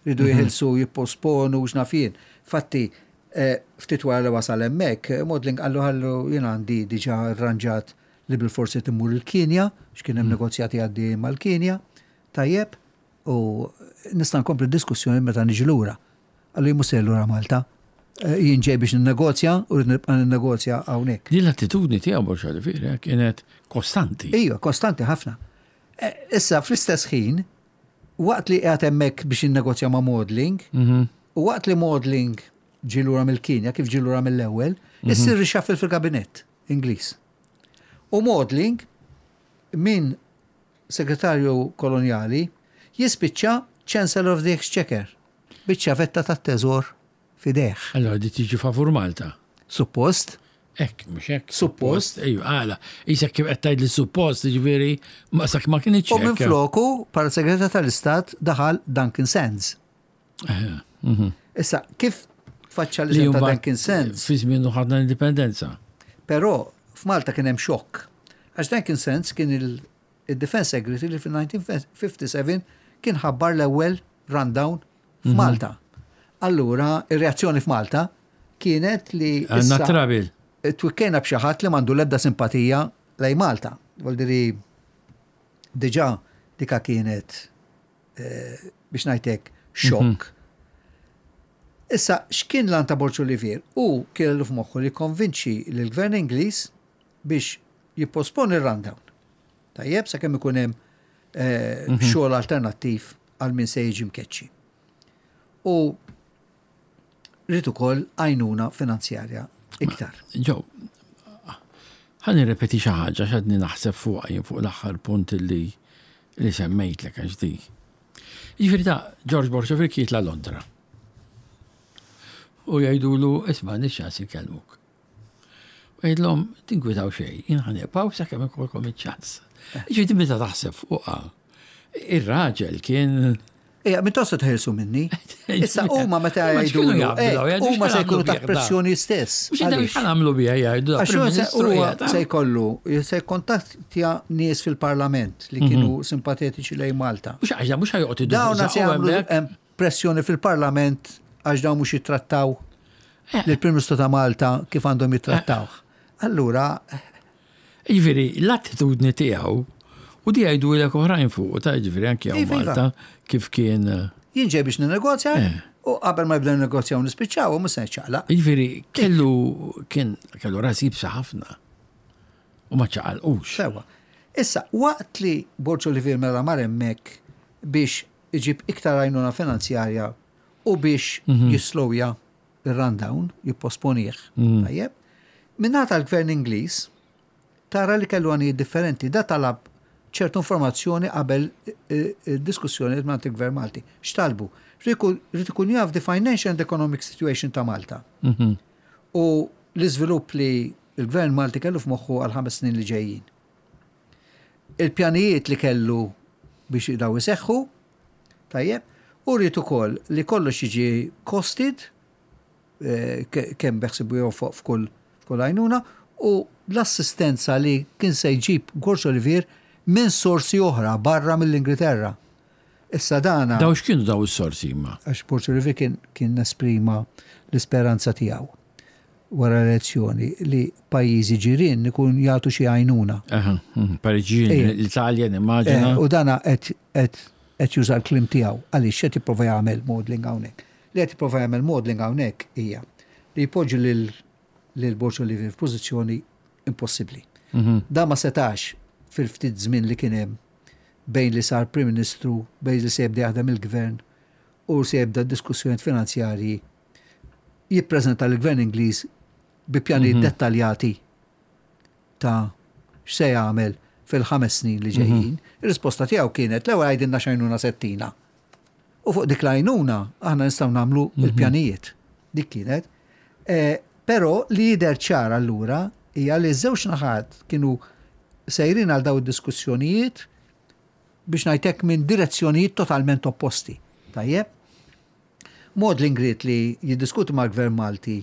Ridu mhm. jeħilsu, jipposponu, x'naf jien. Fatti, eh, ftit wara li wasal hemmhekk, Modling qallu ħallu jien għandi diġà rranġat li bil-forsi timmur il-Kinja, x'kien hemm mhm. negozjati għaddejjin mal-Kinja. Tajjeb, u nista' nkompli diskussjoni meta niġi lura. Qallu jien mhux sejjer lura Malta. Eh, jien ġej biex ninnegozja u rrid nibqa' ninnegozja hawnhekk. Din l-attitudni tiegħu Borg Olivier eh, kienet kostanti. Ejja, kostanti ħafna. Eh, issa fl-istess ħin, waqt li qiegħed hemmhekk biex jinnegozja ma' Maudling, mhm. u waqt li Maudling ġie lura mill-Kinja, kif ġie lura mill-ewwel, mhm. issir reshuffle fil-kabinett Ingliż. U Maudling minn segretarju kolonjali jispiċċa Chancellor of the Exchequer, biċ-ċavetta tat-teżor f'idejh. Allora di tiġi favur Malta. Suppost. Hekk, mhux hekk. Suppost. Ejju, għala. Isek kif qed tgħid li suppost, jiġifieri ma sak ma kinitx U minn floku, bħala segretarju tal-Istat daħal Duncan Sands. Mhm. Issa, kif faċċa li ta' Duncan Sands? Fi żmien ħadna l-indipendenza. Però f'Malta kien hemm xokk. Għax Duncan Sands kien il-Defense Secretary li fil-1957 kien ħabbar l-ewwel rundown mhm. f'Malta. Allura, ir-reazzjoni f'Malta kienet li. Għandna trabil. Twikkejna b'xi ħadd li m'għandu l-ebda simpatija lej Malta. Voldiri, diġà dika kienet eh, biex ngħidlek xokk. Mhm. Issa, x'kien l ta' Borġ Olivier? U kellu f'moħħu li konvinċi lill-Gvern Ingliż biex jipposponi r-rundown. Tajjeb, sakemm ikun hemm eh, mhm. xogħol alternattiv għal min se jiġi mkeċċi. U rrid ukoll għajnuna finanzjarja iktar. Ġew, ħa nirrepeti xi ħaġa x'għadni naħseb fuqha jien fuq l-aħħar punt li li semmejtlek għax di. Jiġifieri ta' George Borg Olivier jitla' Londra. U jgħidulu isma' nix ċans inkellmuk. U jgħidlhom tinkwitaw xejn, jien ħa nibqgħu sakemm ikolkom iċ-ċans. Ġifieri meta taħseb fuqha, ir-raġel kien Ija, minn tosta tħelsu minni. Issa huma meta jgħidu huma se jkunu taħt pressjoni stess. Mhux għamlu biha jgħidu. Għax se jkollu, se jkontattja nies fil-Parlament li kienu mhm. simpatetiċi lejn Malta. Mhux għax mhux ħajoqgħod Dawn se jagħmlu pressjoni fil-Parlament għax dawn mhux jittrattaw eh. lill-Prim Ministru ta' Malta kif għandhom jittrattawh. Eh. Allura. Jiġifieri l-attitudni tiegħu u di jgħidulek oħrajn fuq ta' jiġifieri anki hawn iva, iva. Malta kif kien. Eh, Jien ġej biex ninnegozja u qabel ma jibdew negozjaw nispiċċaw u mhux se niċċaqlaq. Jiġifieri kellu kien kellu ras jibsa ħafna u ma ċaqalqux. Sewa. Issa, waqt li Borġ Olivier mela mar hemmhekk biex iġib iktar għajnuna finanzjarja u biex mhm. jislowja il-rundown, jipposponih. Mhm. Tajjeb. Minna tal-gvern Ingliż, tara li kellu għanijiet differenti, da talab ċertu informazzjoni qabel eh, eh, diskussjoni ma' il-gvern Malti. X'talbu? Rrid ikun jaf the financial and economic situation ta' Malta. Mhm. U l-iżvilupp li l-gvern Malti kellu f'moħħu għal ħames snin li ġejjin. Il-pjanijiet li kellu biex daw iseħħu, tajjeb, u rrid ukoll li kollox jiġi costed, eh, kemm beħsibu jonfoq f'kull f'kull għajnuna, u l-assistenza li kien se jġib Gorġ Olivier minn sorsi oħra barra mill-Ingilterra. Issa dana. Daw x'kienu daw is-sorsi imma? Għax Borg Olivier kien kien esprima l-isperanza tiegħu wara l-elezzjoni li pajjiżi ġirien ikun jagħtu xi għajnuna. Pajjiżi ġirien, l-Italja nimmaġina. U dana qed qed qed juża l-kliem tiegħu għaliex x'qed jipprova jagħmel Maudling hawnhekk. Li qed jipprova jagħmel Maudling hawnhekk hija li jpoġġi lil lil Borg Olivier f'pożizzjoni impossibbli. Dan ma setax fil-ftit żmien li kien hemm bejn li sar Prim Ministru, bejn li se jibda jaħdem il-Gvern u se jibda d-diskussjonijiet finanzjarji, jippreżenta lill-Gvern Ingliż bi pjanijiet dettaljati ta' x'se jagħmel fil-ħames snin li ġejjin. Ir-risposta tiegħu kienet l-ewwel għidilna x'għajnuna se ttina. U fuq dik l-għajnuna aħna nistgħu nagħmlu l-pjanijiet. Dik kienet. Però li jidher ċar allura hija li ż-żewġ naħat kienu sejrin għal dawn id-diskussjonijiet biex ngħid hekk minn direzzjonijiet totalment opposti. Tajjeb? Maudling ried li jiddiskuti mal-Gvern Malti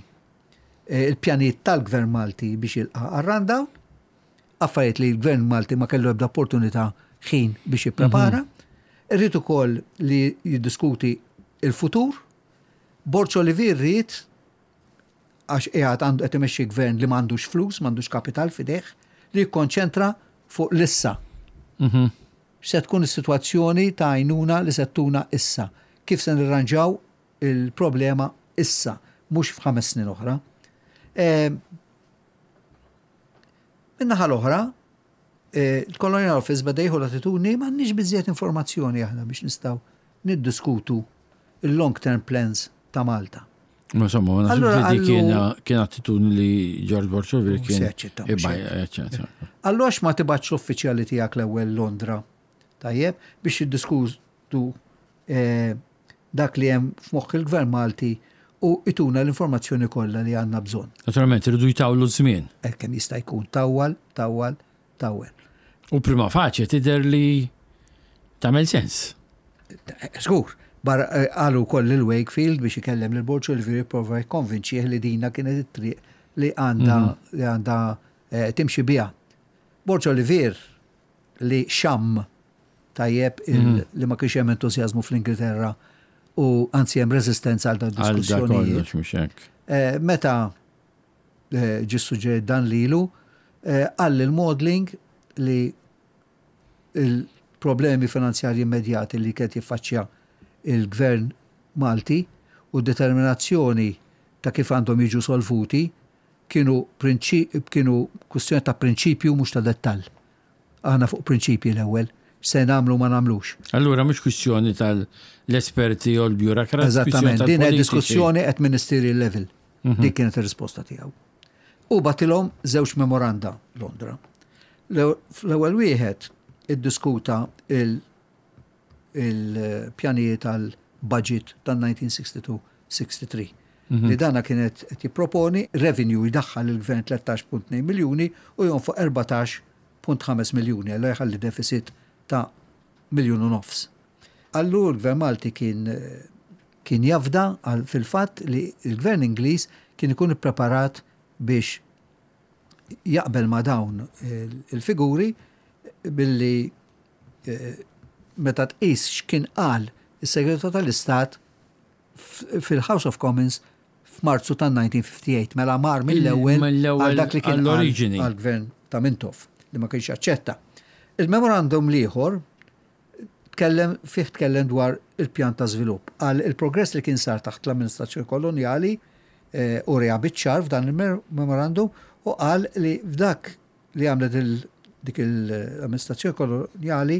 il-pjanijiet tal-Gvern Malti biex jilqa' għar-rundown, affarijiet li l-Gvern Malti ma kellu ebda opportunità ħin biex jipprepara. Irrid ukoll li jiddiskuti il-futur. Borg Olivier ried għax qiegħed għandu qed imexxi gvern li m'għandux flus, m'għandux kapital f'idejh, li jikkonċentra fuq l-issa. X'se tkun is-sitwazzjoni ta' għajnuna li se ttuna issa? Kif se nirranġaw il-problema issa, mhux f'ħames snin oħra. Min-naħa l-oħra, il-Colonial Office beda jieħu l-attitudni m'għandniex biżżejjed informazzjoni aħna biex nistgħu niddiskutu il-long term plans ta' Malta. Ma insomma, ma naħsibx li dik kien attitudni li George Borg Olivier kien. Allura għax ma tibgħatx l-uffiċjali tiegħek l-ewwel Londra, tajjeb, biex jiddiskutu dak li hemm f'moħħ il-Gvern Malti u ituna l-informazzjoni kollha li għandna bżonn. Naturalment, iridu jtawlu ż-żmien. Hekk kemm jista' jkun, tawwal, tawwal, tawwel. U prima facie tidher li tagħmel sens. Żgur. Barra qalu wkoll lil Wakefield biex ikellem lil Borg Olivier jipprova jikkonvinċih li dina kienet it-triq li għandha li għandha timxi biha. Borg Olivier li xamm tajjeb li ma kienx hemm entużjażmu fl-Ingilterra u anzi hemm reżistenza għal dawn id-diskussjonijiet. Meta ġie ssuġġerit dan lilu, qal lil Maudling li l-problemi finanzjarji immedjati li kien jiffaċċja il-Gvern Malti u d-determinazzjoni ta' kif għandhom jiġu solvuti kienu kienu kwistjoni ta' prinċipju mhux ta' dettall. Aħna fuq prinċipji l-ewwel, x'se nagħmlu u ma nagħmlux. Allura mhux kwistjoni tal-esperti jew l-bureaucrats. Eżattament, din hija diskussjoni at ministerial level. Dik kienet ir-risposta tiegħu. U batilhom żewġ memoranda Londra. L-ewwel wieħed iddiskuta il-pjanijiet tal-budget tan-1962-63. Li dana kienet qed jipproponi revenue jdaħħal il-gvern 13.2 miljuni u jonfoq 14.5 miljuni, allura jħalli deficit ta' miljun u nofs. Allura l-gvern Malti kien kien jafda fil-fatt li l-gvern Ingliż kien ikun ippreparat biex jaqbel ma' dawn il-figuri billi meta tqis x'kien qal is-Segretarju tal-Istat fil-House of Commons f'Marzu tan-1958, mela mar mill-ewwel għal dak li kien għall-gvern ta' Mintoff li ma kienx jaċċetta. Il-memorandum l-ieħor tkellem fih tkellem dwar il-pjan ta' żvilupp. Qal il-progress li kien sar taħt l-amministrazzjoni kolonjali u reha biċ-ċar f'dan il-memorandum u qal li f'dak li għamlet dik l-amministrazzjoni kolonjali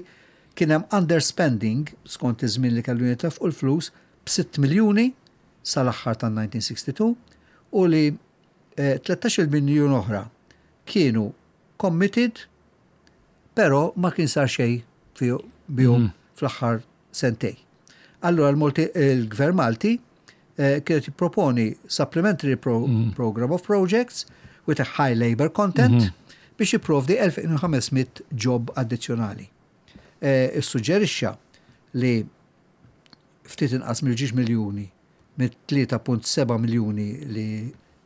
kien hemm underspending skont iż-żmien li kellu jintefqu l-flus b'6 miljuni sal-aħħar tan-1962 u li 13-il miljun oħra kienu committed però ma kien sar xejn bihom fl-aħħar sentej. Allura l-Gvern Malti kienet jipproponi supplementary pro program of projects with a high labor content biex jipprovdi 2500 job addizzjonali. Issuġġerixxa li ftit inqas mill-ġiex miljuni mit-3.7 miljuni li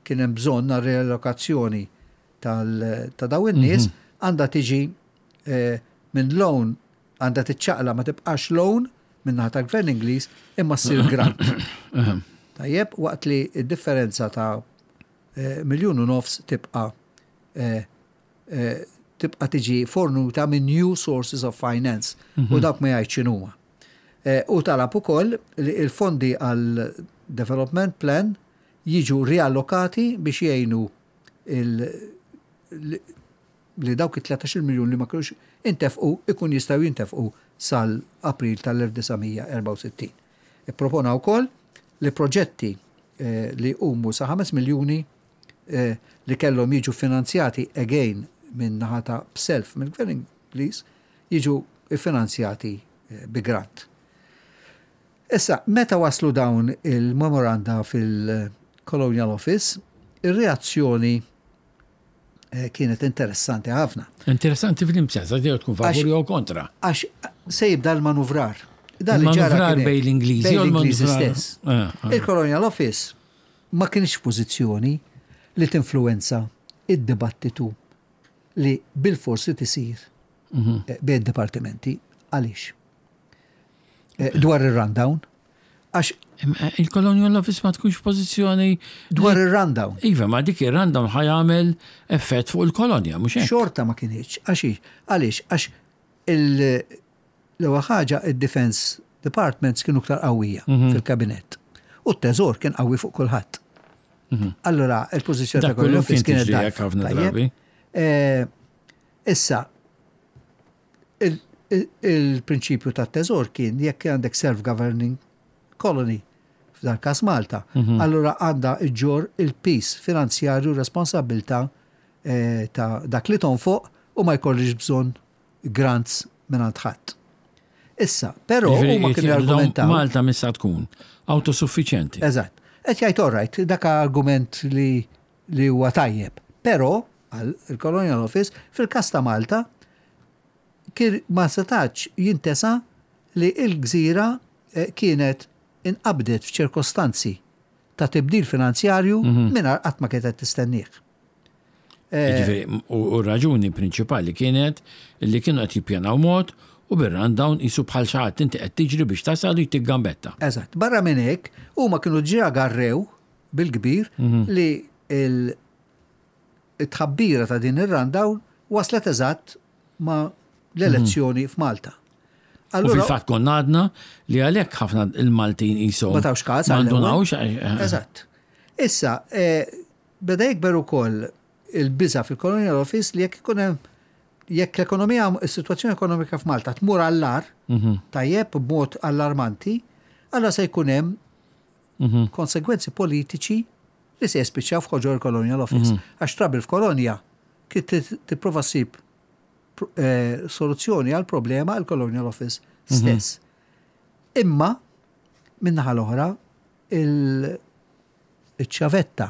kien hemm bżonn għal relokazzjoni ta' dawn in-nies għandha tiġi minn loan għandha tiċċaqla ma tibqax loan. min-naħa tal-Gvern Ingliż imma ssir grant. Tajjeb, waqt li d-differenza ta' 1.5 miljun tibqa' tibqa' tiġi fornuta minn new sources of finance u dawk ma jgħidx x'inhuma. U talab ukoll li l-fondi għal development plan jiġu riallokati biex jgħinu li dawk it-13 miljun li ma kinux intefqu ikun jistgħu jintefqu sal-April tal-1964. Ippropona wkoll li proġetti li jqumu sa 5 miljuni li kellhom jiġu finanzjati again minn naħa ta' b'self mill-Gvern Ingliż jiġu ffinanzjati bi grant. Issa, meta waslu dawn il-memoranda fil-Colonial Office, ir-reazzjoni kienet interessanti ħafna. Interessanti fl-imsens, għax jew tkun favur jew kontra. Għax se jibda l-manuvrar. Dan li ġara Manuvrar bejn l-Ingliżi bejn l-Ingliżi stess. Il-Colonial Office ma kienx f'pożizzjoni li tinfluwenza id-dibattitu li bilfors li tisir bejn id-dipartimenti. Għaliex? Dwar ir-rundown. Għax Il-Colonial Office ma tkunx f'pożizzjoni dwar ir-rundown. Iva, ma dik ir-rundown ħa jagħmel effett fuq il-kolonja, mhux hekk? Xorta ma kinitx. Għax għaliex? Għax l-ewwel ħaġa id-Defense Departments kienu iktar qawwija fil-kabinett. U t-teżor kien qawwi fuq kulħadd. Allura, il-pożizzjoni ta' Dak kollu Colonial Office kien kienet tiġri dgħajfa. hekk ħafna Tajjeb? drabi. Issa, il-prinċipju tat-teżor kien jekk għandek self-governing colony, f'dal każ Malta, allura għandha iġġor il-piż finanzjarju responsabbiltà ta' dak li tonfoq u ma jkollix bżonn grants mingħand ħadd. Issa, però Jiġifieri huma kienu qed jgħidu dawn jargumentaw. Malta missa tkun autosuffiċjenti. Eżatt. Qed jgħid all right, dak argument li huwa tajjeb. Però għal il-Colonial Office fil-każ ta' Malta kien ma setax jintesa li l-gżira kienet inqabdet f'ċirkostanzi ta' tibdil finanzjarju mingħajr qatt ma kienet tistennieh. Jiġifieri, u r-raġuni prinċipali kienet li kienu qed jippjanaw mod u bir-rundown qisu bħal xi ħadd inti qed tiġri biex tasal u jtik gambetta. Eżatt. Barra minn hekk, huma kienu ġa garrew bil-kbir li il-tħabbira ta' din ir-rundown waslet eżatt ma' l-elezzjoni f'Malta. U Allura, fil-fatt konna għadna li għalhekk ħafna il-Maltin qishom Ma tawx każ ma għall-ewwel. ndunawx. Eżatt. Issa, beda jikber ukoll il-biża fil-Colonial Office li jekk ikun hemm jekk l-ekonomija, is-sitwazzjoni ekonomika f'Malta tmur għall-agħar, tajjeb b'mod allarmanti, allura se jkun hemm konsegwenzi politiċi li se jispiċċaw f'ħoġor il-Colonial Office. Għax trouble f'kolonja kif tipprova ssib soluzzjoni għal problema għal Colonial Office stess. Imma min-naħa l-oħra il-ċavetta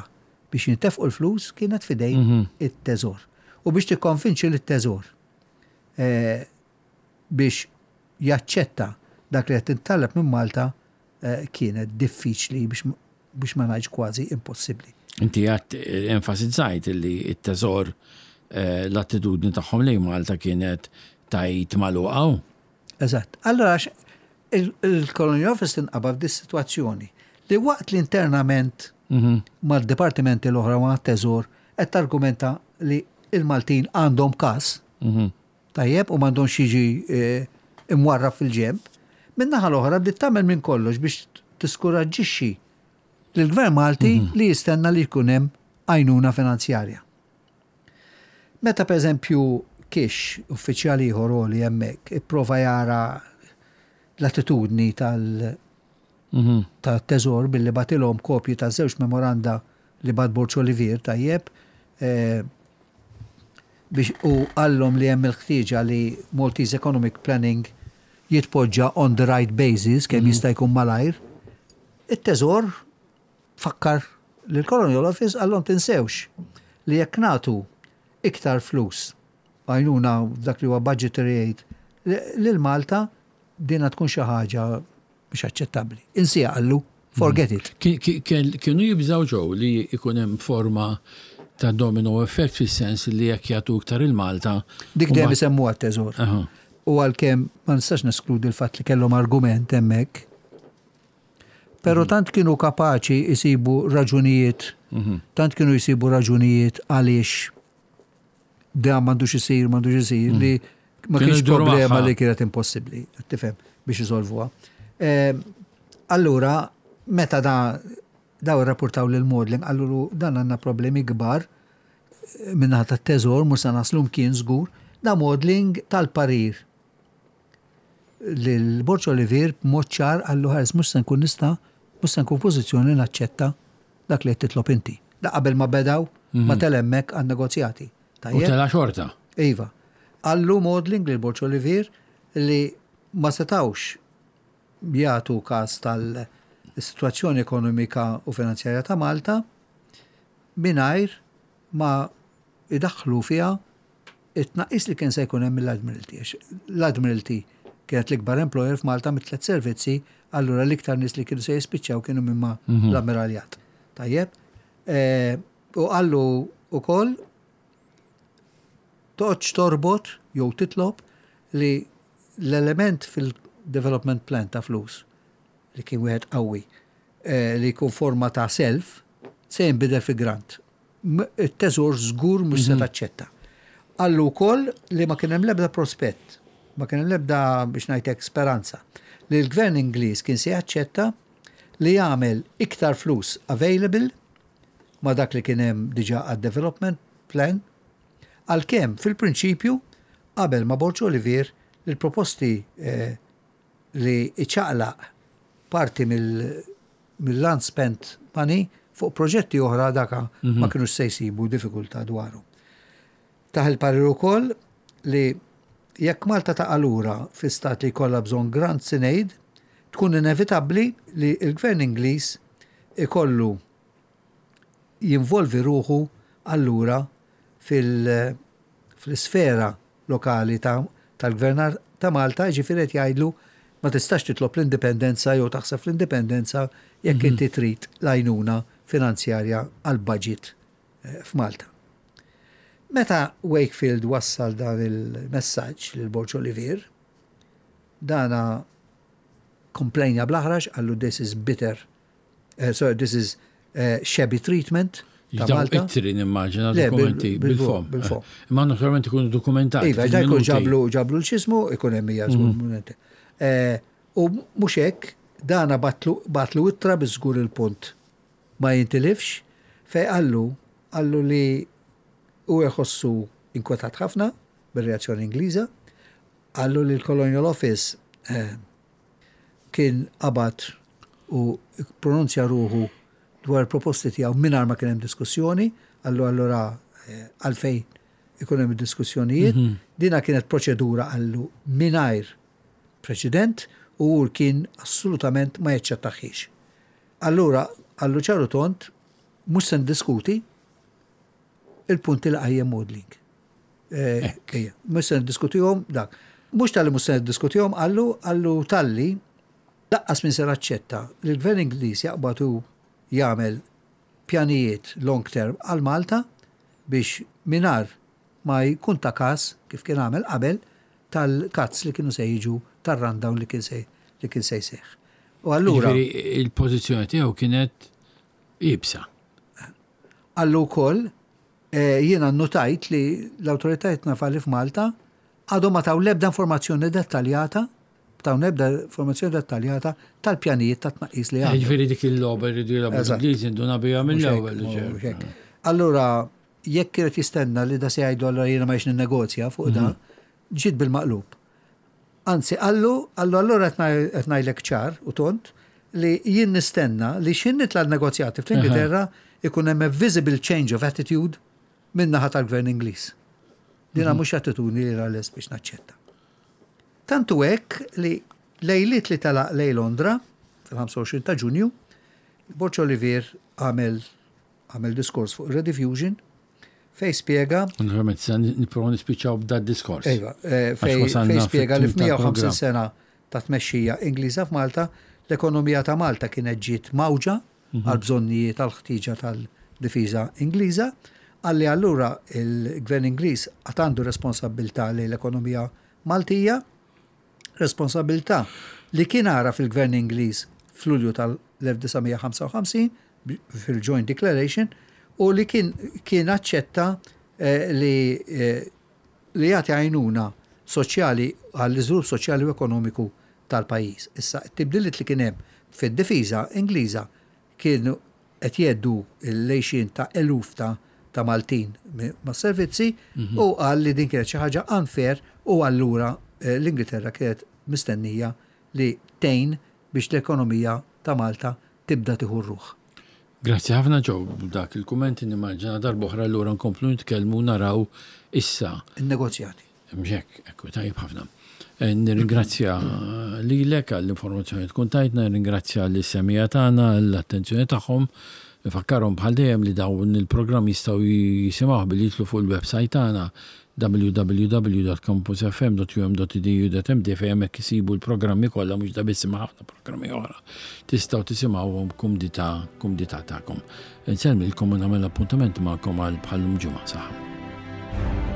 biex jintefqu l-flus kienet fidejn it-teżor. U biex tikkonvinċi l-teżor biex jaċċetta dak li qed tintalab minn Malta kienet diffiċli biex ma ngħidx kważi impossibbli. Inti għat enfasizzajt li t-teżor l-attitudni tagħhom lejn Malta kienet tajt magħluqa. Eżatt. Allora il-Colonial Office tinqabad f'dis sitwazzjoni li waqt li internament mal-dipartimenti l-oħra ma' teżor qed targumenta li il-Maltin għandhom każ tajjeb u m'għandhomx jiġi imwarrab fil-ġemb. Min-naħa l-oħra bdiet tagħmel minn kollox biex tiskuraġġixxi lill-Gvern Malti li jistenna li jkun hemm għajnuna finanzjarja. Meta pereżempju Kish, uffiċjali ieħor li hemmhekk, ipprova jara l-attitudni tal-teżor billi bagħtilhom kopji ta' żewġ memoranda li bagħat Borg Olivier tajjeb biex u qallhom li hemm il-ħtieġa li Maltese Economic Planning jitpoġġa on the right basis kemm jista' jkun malajr. It-teżor fakkar lill-Colonial Office qallhom tinsewx li jekk nagħtu iktar flus għajnuna dak li huwa budgetary aid lil Malta dina tkun xi ħaġa mhux aċċettabbli. Insija qallu, forget it. Kienu jibżaw ġew li jkun hemm forma ta' domino effect fis-sens li jekk jagħtu iktar il-Malta. Dik dejjem isemmuha t-teżor. U għalkemm ma nistax neskludi l-fatt li kellhom argument hemmhekk, però tant kienu kapaċi jsibu raġunijiet, tant kienu jsibu raġunijiet għaliex dan m'għandux isir, m'għandux isir, li ma Kienu kienx jduru problema magħha. li kienet impossibbli, tifhem, biex isolvuha. Allura, meta da daw irrapportaw lil Maudling, qallu dan għandna problemi kbar min-naħa tat-teżor, mhux se naslu mkien żgur, da Maudling tal-parir lil Borg Olivier b'mod ċar qallu ħares mhux se nkun nista' mhux se nkun f'pożizzjoni naċċetta dak li qed titlob inti. Da qabel ma bedaw, ma tel hemmhekk għan-negozjati. U Tajjeb? tela xorta. Iva. Qallu Maudling lil Borg Olivier li ma setawx jagħtu każ tal-sitwazzjoni ekonomika u finanzjarja ta' Malta mingħajr ma idaħħlu fiha it-tnaqqis li kien se jkun hemm mill-Admiralty. Għax l-Admiralty kienet l-ikbar employer f'Malta mit-tliet servizzi, allura l-iktar nies li kienu se jispiċċaw kienu minn ma l-Ammiraljat. Tajjeb? U qallu wkoll toqgħodx torbot jew titlob li l-element fil-development plan ta' flus li kien wieħed qawwi li jkun forma ta' self se jinbidel fi grant. It-teżor żgur mhux se taċċetta. Qallu wkoll li ma kien hemm l-ebda prospett, ma kien hemm l-ebda biex ngħidlek speranza li l-gvern Ingliż kien se jaċċetta li jagħmel iktar flus available ma dak li kien hemm diġà għad-development plan, għalkemm fil-prinċipju qabel ma Borg Olivier l-proposti li iċaqlaq parti mill-unspent money fuq proġetti oħra daka ma kienux se jsibu diffikultà dwaru. Tah il-parir ukoll li jekk Malta taqa' lura fi stat li jkollha bżonn grants in aid, tkun inevitabbli li l-gvern Ingliż ikollu jinvolvi ruħu allura fl-isfera lokali tal-gvern ta' Malta, ġifieri qed jgħidlu ma tistax titlob l-indipendenza jew taħseb fl-indipendenza jekk inti trid l-għajnuna finanzjarja għal budget f'Malta. Meta Wakefield wassal dan il-messaġġ lil Borg Olivier, dana komplejna bl-aħrax, qallu this is bitter, sorry, this is shabby treatment ta' Daw Malta. Ittri nimmaġina Le, dokumenti bil-fom. Bil-fom. Imma naturalment ikunu dokumentati. Iva, da jkun fil-minuti. ġablu l-xismu, ikun hemm hija żgur minuti. U mhux hekk, dana batlu ittra biżgur il-punt ma jintilifx, fej qallu li u jħossu inkwetat ħafna bir-reazzjoni Ingliża, qallu li l-Colonial Office kien qabad u pronunzja ruħu dwar proposti tiegħu mingħajr ma kien hemm diskussjoni, qallu allura għalfejn ikun hemm diskussjonijiet. Dina kienet proċedura qallu mingħajr preċedent u hu kien assolutament ma jaċċettaħiex. Allura qallu ċaru tond mhux se ndiskuti il-punti li qajjem Maudling. Ejja, mhux se niddiskutihom dak. Mhux talli mhux se niddiskutihom, qallu talli laqqas min se naċċetta li l-gvern Ingliż jaqbad u jagħmel pjanijiet long term għal Malta biex mingħajr ma jkun ta' każ kif kien għamel qabel tal-cuts li kienu se jiġu tar-rundown li kien se jseħħ. U allura Jiġifieri il-pożizzjoni tiegħu kienet iebsa. Qallu wkoll jiena notajt li l-awtoritajiet navali f'Malta għadhom ma taw l-ebda informazzjoni dettaljata, taw l-ebda informazzjoni dettaljata tal-pjanijiet ta' tnaqqis li għandhom. Jiġifieri dik il-logħba jridu jilagħbu l-Ingliżi induna biha Mhux hekk, mill-ewwel, mhux ġer. hekk. Allura, jekk kienet jistenna li da se jgħidu allura jiena ma jiex ninnegozja fuq da, ġiet bil-maqlub. Anzi, qallu allura qed ngħidlek ċar u tond li jien nistenna li x'ħin nitla' negozjati fl-Ingilterra ikun hemm a visible change of attitude min-naħa tal-gvern Ingliż. Dina mhux attitudni li lest biex naċċetta. Tantu hekk li lejliet li telaq lej Londra fil-25 ta' Ġunju, Borg Olivier għamel diskors fuq Rediffusion fej spiega Naturalment, se nipprova nispiċċaw b'da diskors. Iva, Għax wasalna fej spiega li fit-tmiem f'150 tal-programm. sena ta' tmexxija Ingliża f'Malta, l-ekonomija ta' Malta kienet ġiet mawġa għal bżonnijiet tal-ħtieġa tal-difiża Ingliża, għalli allura il-gvern Ingliż għad għandu responsabbiltà li l-ekonomija Maltija. Responsabilità li kien għaraf il-Gvern Ingliż f'Lulju tal-1955 fil-Joint Declaration u li kien kien aċċetta eh, li eh, li jagħti għajnuna soċjali għall-iżvilupp soċjali u ekonomiku tal-pajjiż. Issa, it-tibdiliet li kien hemm fid-difiża Ingliża kienu qed jgħeddu l-għixien ta' eluf ta' ta' Maltin mas-servizzi u qal li din kienet xi ħaġa unfair u allura l-Ingilterra kienet mistennija li tgħin biex l-ekonomija ta' Malta tibda tieħu r-ruħ. Grazzi ħafna Joe b'dak il-kumment nimmaġina darb'oħra allura nkomplu nitkellmu u naraw issa. In-negozjati. Mhux hekk, ekku, tajjeb ħafna. Eh, nirringrazzja lilek għall-informazzjoni li tkun tajtna, nirringrazzja lis-semija tagħna l-attenzjoni tagħhom. Nfakkarhom bħal dejjem li dawn il-programm jistgħu jisimgħuh billi jidħlu fuq il-website tagħna www.campusfm.um.edu.md fejn hemmhekk isibu l-programmi kollha mhux da biss imma ħafna programmi oħra. Tistgħu tisimgħuhom b'kumdità kumdità tagħkom. Insellmilkom u nagħmel appuntament magħkom għal bħal-lum ġimgħa. Saħħa.